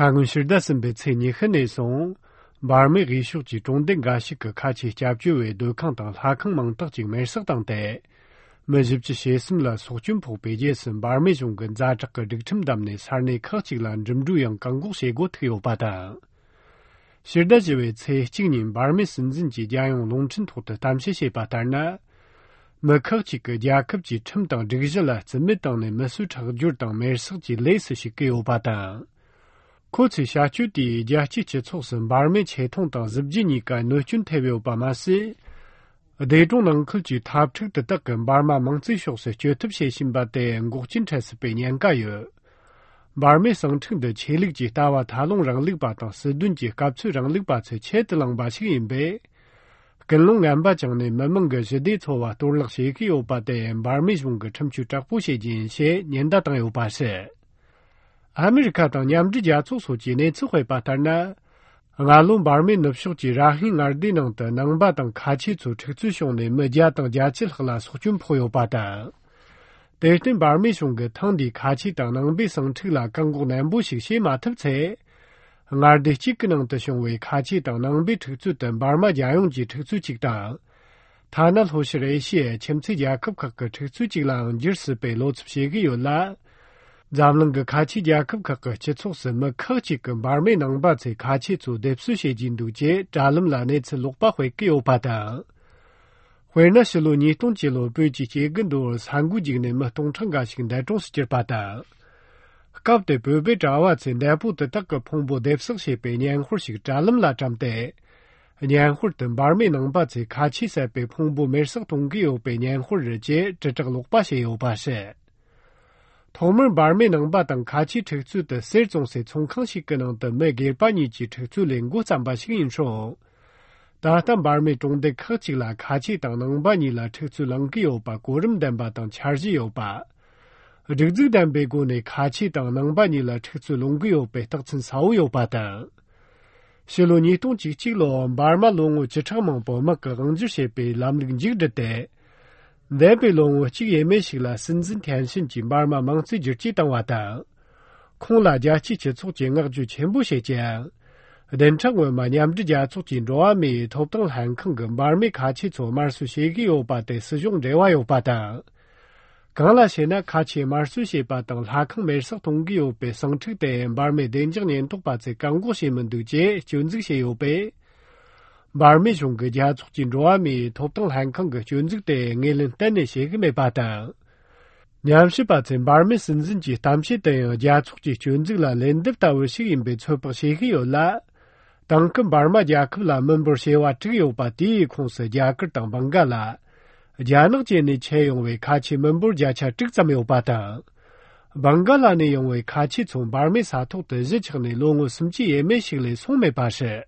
강군 시르다슨 베체니 흔내송 바르메 리슈지 종된 가시크 카치 잡주웨 도캉당 하캉 망덕징 메석당대 머집지 셰슴라 속준포 베제슨 바르메 종근 자적거 득침담네 살네 커치란 점주영 강국 세고 트요바다 시르다지웨 체징님 바르메 선진지 자용 농천토的담시셰바다나 머커치그 야컵지 첨당 르기절라 즈메당네 머수차그줄당 메석지 레스시 게요바다 코치 샤추디 야치치 촉선 바르메 체통당 즈브지니까 노춘 태베오바마시 대종능 클지 탑측的德根 바르마 멍지쇼스 쥐톱셰 신바데 국진차스 베년가요 바르메 성층的 체력지 다와 다롱랑 릭바당 스둔지 갑츠랑 릭바츠 체드랑 바시인베 근롱 안바정네 머멍거 제디초와 돌락시기오바데 바르메 중거 첨추 작부시진시 년다당요바세 아메리카 당 냠지자 초소지네 지회바타나 알론 바르메 납쇼지 라힌 알디능的 능바당 카치초 측주숑네 머자당 자칠흐라 소준포요바다 대신 바르메 중거 탕디 카치당 능비성 측라 강국 남부식 시마특체 알디 직능的 숑웨 카치당 능비 측주던 바르마 자용지 측주직당 타날 호시레시에 쳔치자 급각거 측주직랑 지르스베 로츠시기요라 잠릉거 카치 자급각거 제촉스 뭐 커치건 바르메 능바체 카치주 뎁수시진두제 자름라네츠 록바회 끼요바다 회나실로 니동지로 베지제근도 상구직네 뭐 동청가식인데 종스지바다 갑데 베베 자와체 내부的 딱거 풍부 뎁석시 베년 홀식 자름라 잠대 년 홀든 바르메 능바체 카치세 베 풍부 메석 동기요 베년 홀르제 저적 록바시요바세同门 바르메 능바당 카치 특수的 세종세 총康시 그능的 매길바니지 특수 랭고 잠바식인쇼 다탄 바르메 종대 커치라 카치당 능바니라 특수 랭기요바 고름담바당 차지요바 르즈단 베고네 카치당 능바니라 특수 롱기요베 덕친 사우요바다 실로니 동지직로 바르마 롱우 지창망 보마가 응지셰베 람링지르데 내벨롱 지예메시라 선진탄신 진바마 망지지 당와다 콩라자 치치促进额주全部写讲렌창원 마냠지자促进로아미 톱등 한坑跟 바르메 카치 조마수시기요바데 스종레와요바다 강라시나 카치 마수시바등 하坑 메석 동기요베 성측대 바르메 덴정년 독바제 강고시문두제 준직시요베 바르메 중거자促进로아미 톱등 한坑그 준직대 녜른 딴네 시기메바다 냠시바진 바르메 선진지 담시대 자促进 준직라 렌드다워 시인베 초박시기요라 당근 바르마 자크라 멤버시와 트요바디 콩스 자크 당방가라 자능제니 채용의 가치 멤버 자차 직zam요바다 방가라네 용의 가치 총 바르메 사토的日程内 롱우 심지 예매식의 송매바시